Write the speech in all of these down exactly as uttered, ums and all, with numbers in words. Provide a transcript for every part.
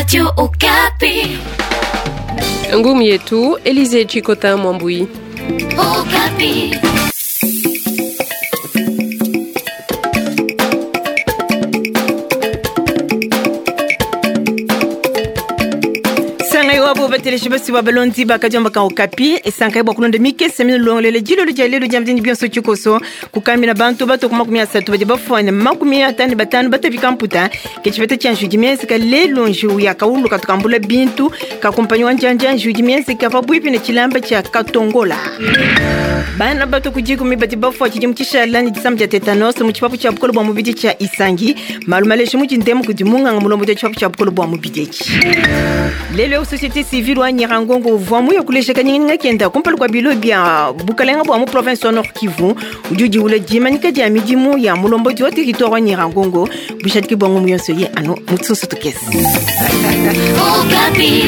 Radio Okapi. Ngumu yetu Elize Chikota Mwambui. Okapi. Sangai wabo bateleshi basi wa balondi bakajamba ka Okapi esankai bwa kulonda mikese minulongolele jilolo dia lelo dia mdini bionso tshikoso kukamina bantu bato ku makumi asatu badi bafwane makumi atanu batanu batafika mputa ke tshipeta tshia njudi mienzeka lelo njiwu ya kaulu katukambula bintu kakumpanyi wa njanja njudi mienzeka pabuipi ne tshilamba tshia katongola. Bana bato kujikumi badi bafua tshidimu tshishala ne disama dia tetanos mu tshipapu tshia bukolo bua mubidi tshia Isangi malu maleshe mu tshindemu kudi munganga mulombo dia tshipapu tshia bukolo bua mubidi etshi. Lelo société civile wa Nyirangongo uvua muya kulesha kanyinga kenda kumpala kua bilo bia bukalenga bua mu province wa Nord Kivu udi udiwula dimanyika dia midimu ya mulombodi wa territoire wa Nyirangongo bushadiki bua ngumu yonso ye anu mutsusu tukese. Okapi.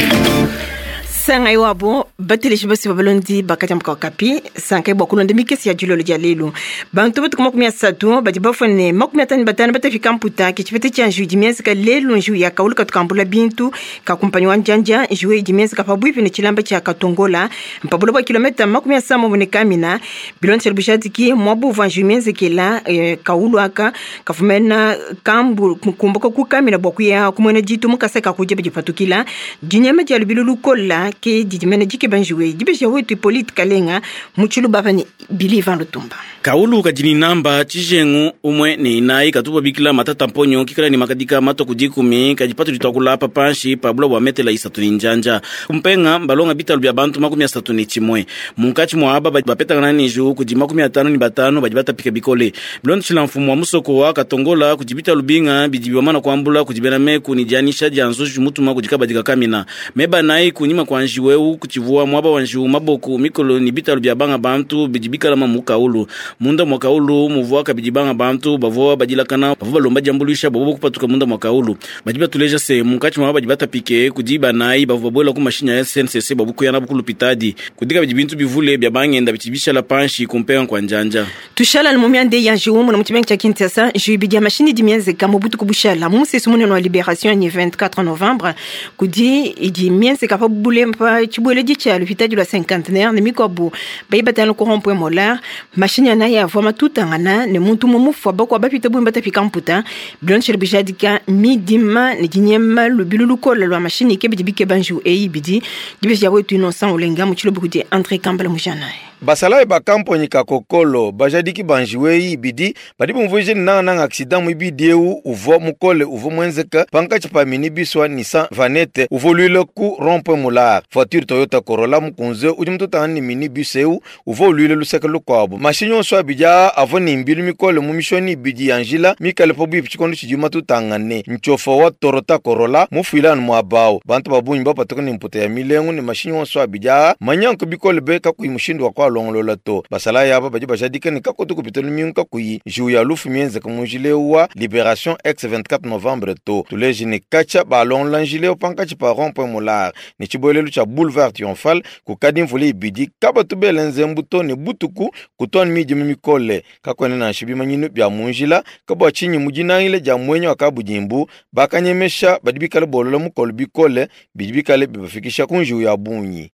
Sangai wabo bateleshi basi babalondi bakajambuka Okapi sankai bwa kulonda mikesi ya julolo dia lelo bantu batu makumi asatu badi bafune makumi atanu batanu batafika mputa ke tshipeta tshia njiwu mienzeka lelo njiwu ya kaulu katukambula bintu kakumpanyi wa njanja njiwu idi mienzeka pabuipi ne tshilamba tshia katongola mpabula bua kilometa makumi asambombo ne kamina bilondeshele bushadiki mwabuva njiwu mienzekela eh, kaulu aka kafumena kambu kumbuka kukamina bua kuya kumwena ditu mukasa kakudia badipatukila dinyama dia lubilu lukola ke didimene dikeba njiwe dibesha wetu Hippolyte Kalenga mutshilu bava ni Billy Ivan Lutumba. Kaulu kadini namba tshijengu umwe ne inayi katupa bikila matata mponyo kikala ni makadika mato kudikumi kadipatu ditwakula pa panshi pa bula bua metela isatu ni njanja kumpenga mbalonga bitalu bia bantu makumi asatu ni tshimwe munkatshi mwa aba bapetangana ni njiwu kudi makumi atanu ni batanu badi batapika bikole bilondeshila mfumu wa musoko wa katongola kudi bitalu binga bidi bimana kuambula kudi bena meku ni dianisha dia nzuji mutuma kudi kabadika kamina meba nayi kunyima kwa njiwu kutshivuwa mwaba wa njiwu maboko mikolo ni bitalu bia banga bantu bidi bikalama mu kaulu munda mwa kaulu muvua kabidi banga bantu bavua badilakana bavua balomba diambuluisha bavua kupatuka munda mwa kaulu badi batuleja se munkatshi mwa badi batapike kudi banayi bavua babuela ku mashinya ya S N C C babukuyana bukulupitadi kudi kabidi bintu bivule bia bangenda bitshibishala panshi kumpenga kwa njanja. Tushala ni mumia ya njiwu muna mutshimenga tshia Kinshasa njiwu bidi ya mashini di mienzeka mu butuku bushala mu musesu munene wa Liberation ni vingt-quatre novembre kudi idi mienzeka pa bulempa tshibueledi tshia lupitadi lwa cinquantenaire ne mikuabu bayibatana ku rond-point Molar mashini anayi avua matutangana ne muntu mumufua bakua bapita bumbi batapika mputa bilondeshele bujadika midima ne dinyema lubilu lukola lwa mashini ke bidi bikeba njiwu eyi bidi dibesha wetu Innocent Olenga mu tshilobo kudi André Kambala mujanayi. Basalayi ba kamponyi ka kokolo bajadiki ba njiwu eyi ibidi badi bumvuije nangananga accident muibidi ewu uvua mukole uvua muenzeka pankatshi pa minibus wa Nissan Vanette uvua uluile ku rond-point Molar. Voiture Toyota Corolla mukunze udi mututangana ne minibus ewu uvua uluile luseke lukuabu. Mashinyi onso abidi aa avua ne mbilu mikole mu mishoni ibidi ya njila mikale pabuipi tshikondo tshidi matutangane. Ntshiofa wa Toyota Corolla mufuile anu muaba awu. Bantu ba bungi bapatuka ne mputa ya milengu ne mashinyi onso abidi aa manyanke bikole be kakuyi mushindu wa kualongolola to. Basalayi aba badi bajadika ne kakutu kupita lumingu kakuyi njiwu ya lufu mienzeka mu njila ewu wa Liberation ex vingt-quatre novembre to. Tuleje ne katshia balongolola njila ewu pankatshi pa rond-point Molar ne tshibuelelu tshia boulevard Triomphal kukadi mvula ibidi kabatu bela nzembu to ne butuku kutua midima mikole kakuena nansha bimanyinu bia mu njila kabua tshinyi mu dinangile dia muenyi wa kabudimbu bakanyemesha badi bikale bolola mukolo bikole bidi bikale bibafikisha ku njiwu ya bungi.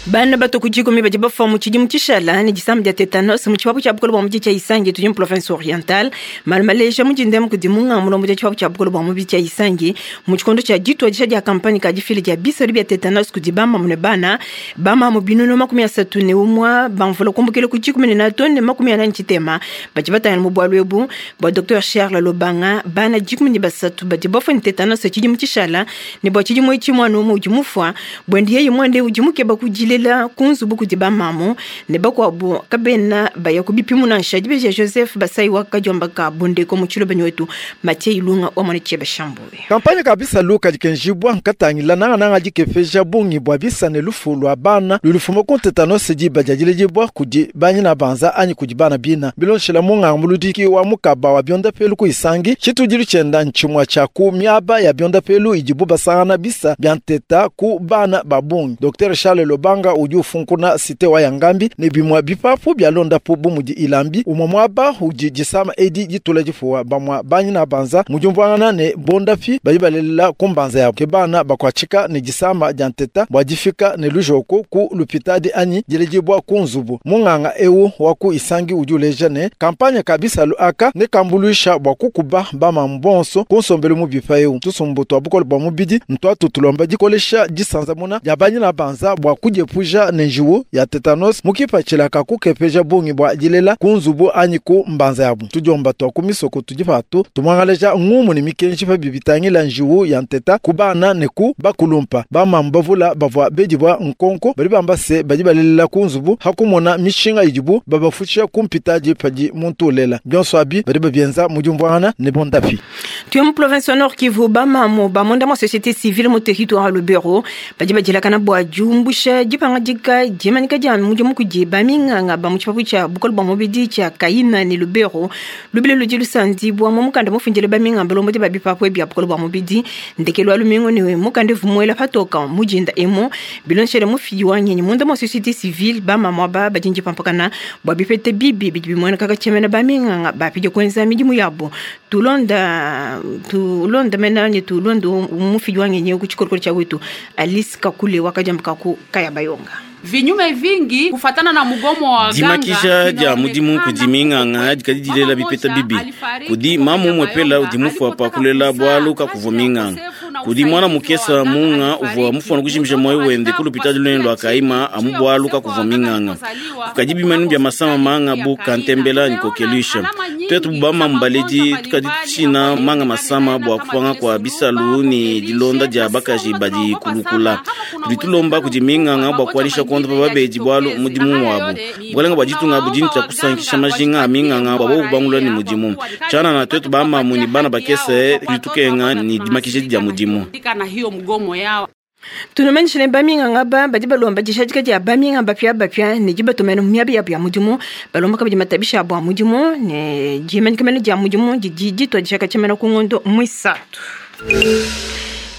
Bana bato kujikumi badi bafua mu tshidimu tshishala ne disama dia tetanos mu tshipapu tshia bukolo bua mubidi tshia Isangi tudi mu province orientale malu maleja mu dindemu kudi munganga mulombo dia tshipapu tshia bukolo bua mubidi tshia Isangi mu tshikondo tshia dituadisha dia kampanye ka difila dia bisalu bia tetanos kudi bamamu ne bana bamamu binunu makumi asatu ne umua bamvula kumbukila ku dikumi ne natu ne makumi anani tshitema badi batangila mu bualu ebu bua Docteur Charles Lobanga bana dikumi ne basatu badi bafua ne tetanos tshidimu tshishala ne bua tshidimu etshi muana umue udi mufua buende yeye muande udi mukeba kudi lela kunzubu kudi bamamu ne bakuabu kabena baya kubipimu nansha dibeja Joseph Basai wa kadiomba ka bondeko mu tshilobanyi wetu Mathieu Ilunga wa mwana tshieba Shambuwe. Kampanye ka bisalu kadi kenjibwa nkatangila nangananga dikefeja bungi bua bisa ne lufu lua bana lulufuma ku tetanos diba dia diledibua kudi banyina banza anyi kudi bana bina bilonshela munganga muludiki wa mukaba wa biondapelu ku Isangi tshitudilu tshienda ntshimua tshia ku miaba ya biondapelu idibu basangana bisa bia nteta ku bana ba bungi. Docteur Charles Lobanga Luanga udi ufunkuna cité wa Yangambi ne bimwa bipapu bya londapu bu mudi Ilambi umwe mwaba udi disama edi ditula difuwa bamwa banyina banza mujumvangana ne bondapi badi balelela kumbanza yabo ke bana bakwachika ne disama dia nteta bwa difika ne lujoko ku lupitadi anyi dilejibwa ku nzubu munganga ewu waku Isangi udi uleja ne kampanya kabisa aka ne kambuluisha bwa kukuba bamambonso kunsombelu mu bipa ewu tusumbu twa bukole bwa mubidi ntwa tutulomba dikolesha disanzamuna dia banyina banza bwa kudiepuja ne njiwu ya tetanos mukipatshila kukepeja bungi bwa dilela ku nzubu anyi ku mbanza yabu tudiomba twa ku misoko tudi patu tumwangaleja ngumu ne mikenji pa bibitangila njiwu ya nteta ku bana ne ku bakulumpa bamamba bavula bavwa bedibwa nkonko bali bamba se badi balelela ku nzubu hakumona mishinga idibu babafutsha kumpitaji padi muntu ulela byonso abi badi babienza mujumvwana ne bondapi. Tuye mu province Nord Kivu bamamo bamonda mwa société civile mu territoire Lubero badi badilakana bwa jumbusha dipanga dika dimanika dia mudimu kudi baminganga ba mu tshipapu tshia bukole bwa mubidi tshia Kaina ne Lubero lubile ludi lusandi bwa mu mukanda mufundile baminganga balombodi ba bipapu bia bukole bwa mubidi ndekelo wa lumingo ne mukanda vumuela patoka mujinda emo bilonshele mufidi wa nyenyi munda mwa société civile bamamo ba badinji pampakana bwa bipete bibi bidi bimwena kaka tshemena baminganga bapidi kwenza midimu yabo tulonda tulonda mena ne tulonda mufidi wa nyenyi ku tshikorokoro tshia wetu Alice Kakule wakajambika ku Kaya Bayonga. Vinyume vingi kufatana na mugomo wa dimakisha dia mudimu kudi minganga dikadi dilela bipeta bibi kudi mamu mwepela udi mufua pa kulela bwalu kakuvua minganga kudi mwana mukesa munga uvua mufua kujimisha moyo wende kulupita lunene lwa kaima amu bwalu kakuvua minganga kukadi bimanu bya masama manga bu kantembela nikokelisha twetu bama mbaledi tukadi tshina manga masama bwa kupanga kwa bisalu ni dilonda dia bakaji badi kulukula tudi tulomba kudi minganga bwa kuanisha konda babedi bwalu mudimu wabo bwalenga bwa ditunga budini tya kusankisha majinga aminganga bwabo kubangula ni mudimu chana na twetu bamamu ni bana bakese litukenga ni dimakisha dia mudimu na hiyo mgomo yao. Tunamanishile baminganga ba badi balomba dishadika dia baminganga bapya bapya ne dibatomena miabi ya bya mudimu balomba kabidi matabisha bwa mudimu ne dimanikemene dia mudimu didi ditwa dishaka tshemena ku ngondo mwisatu.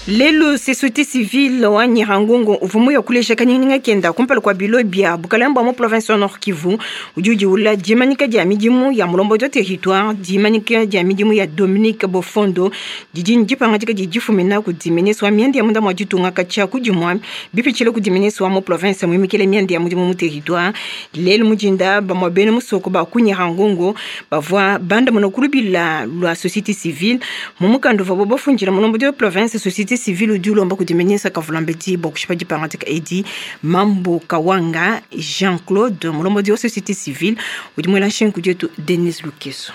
Lelo société civile wa Nyirangongo uvumu ya kulesha kanyinga kenda kumpala kwa bilo bia bukalamba mu province Nord Kivu udi ula dimanika dia midimu ya mulombo de territoire dimanika dia midimu ya Dominique Bofondo didi ndipanga dika difumina ku dimeneswa miende ya munda mwa ditunga kacha kudimwa bipichile ku dimeneswa mu province mwimikele miende ya mudimu mu territoire lelo mujinda ba mwabene musoko ba ku Nyirangongo bavwa banda monokulubila lwa société civile mu mukando vabo bafunjira mulombo de province société civile udi ulomba kudimenyesa kavulambedi bokushipa dipangatika edi Mambo Kawanga Jean-Claude mulombodi wa société civile udi mwela nshenku dietu Denis Lukeso.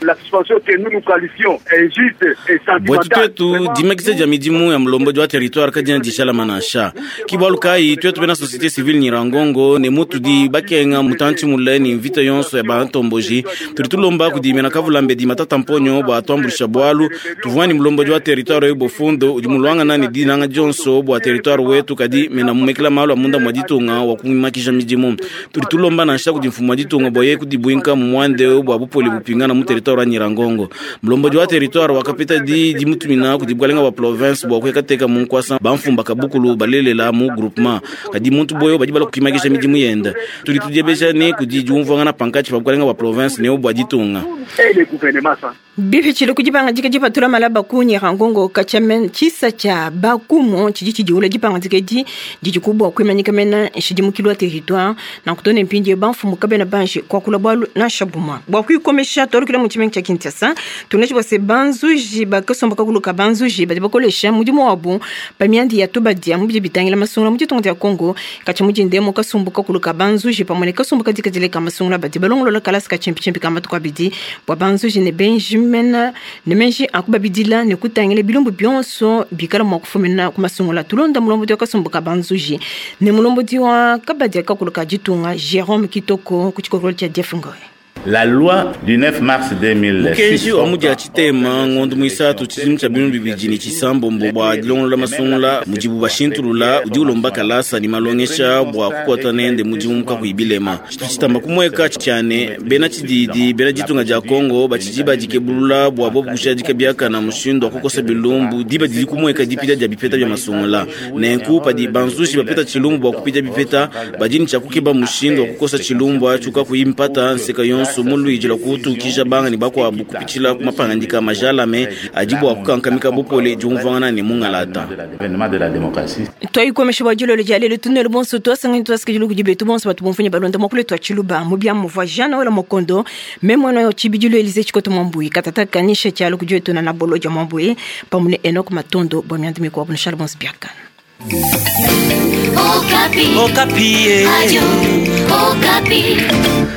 La suspension que nous nous qualifions injuste et bwetu sentimentale. twetu dimakisa dia midimu ya mulombodi wa territoire kadiena dishala manasha kibwalu kayi twetu bena société civile Nyirangongo ne mutudi bakenga mutantshi mule ni mvita yonso ya bantomboji tudi tulomba kudimena kavulambedi matata mponyo bwa twambulisha bwalu tuvua ni mulombodi wa territoire oyu bofundo udi mulwangana ni dinanga dionso bwa territoire wetu kadi mena mumekela malu a munda mwa ditunga wa kumakisha midimu tudi tulomba nansha kudi mfumu wa ditunga bwa ye kudibwinka mu mwande bwa bupoli bupingana mu territoire wa Nyirangongo mulombodi wa territoire wakapita di dimutumina kudi bwalenga bwa province bwa kuekateka mu nkwasa bamfumba kabukulu balelela mu groupement kadi muntu boyo badi bala kukimakisha midimu yenda tudi tudiebesha ne kudi diumvwangana pankatshi pa bwalenga bwa province ne bwa ditunga Et le gouvernement ça. Bipichile kudipanga dika dipatula malaba ku Nyirangongo kachamen chisa cha bakumo chidi chidiula dipanga dika di didikubwa kuimanyika mena nshidimukilwa territoire na kutone mpindi banfumu kabena banji kwa kula bwalu na shabuma bwa kuikomesha tolukila mu tshimenga tsha Kinshasa tuneshi bwase banzuji bakasomba kakuluka banzuji badi bakolesha mudimu wabu pamiandi ya tubadia mubidi bitangila masungula mu ditunga dia Congo kacha mujindemo kasumbu kakuluka banzuji pamwe ne kasumbu kadika dileka masungula badi balongolola kalasi ka chimpichimpi ka matuku abidi bwa banzuji ne benji mena ne menji akubabidila ne kutangila bilumbu bionso bikala mwa kufumina ku masungula tulonda mulombodi wa kasumbu ka banzuji ne mulombodi wa kabadia kakuluka ditunga Jérôme Kitoko ku tshikorolo tshia Jeff Ngoy. La loi du neuf mars deux mille six Mukenji wa mudia tshitema ngondo muisatu tshidimu tshia binunu bibidi ne tshisambombo bua dilongolola masungula mudibu bashintulula udi ulomba kalasa ne malongesha bua kukwata nende mudimu kakuyi bilema. Tshitu tshitamba kumueka tshiane bena tshididi bena ditunga dia Kongo batshidi badikebulula bua bobu kushadika biakana mushindu wa kukosa bilumbu diba didi kumueka dipita dia bipeta bia masungula. Nenku padi banzushi bapeta tshilumbu bua kupita bipeta, badi ne tshia kukeba mushindu wa kukosa tshilumbu atshi kakuyi mpata nseka yonso muluidi lwa kutukija banga ne bakwabu kupitshila ku mapangandika majalame adi bua kukankamika bupole, diumvuangana ne mungalata. L'avènement de la démocratie. Twayikomesha bua dilolo dia lelo tunelo bonso twasangani twasikidila kudi betu bonso batu bomfunya balonda mwakule twa tshiluba mu bia muvua Jean Wela Mokondo me mwana yo tshibidilo Elize Tshikoto Mwambuyi katata kanisha tshialo kudi wetu na na bolo dia Mwambuyi pamwe ne Enok Matondo bua mianda mikuabu nushala bonso biakana. Okapi. Okapi. Radio Okapi.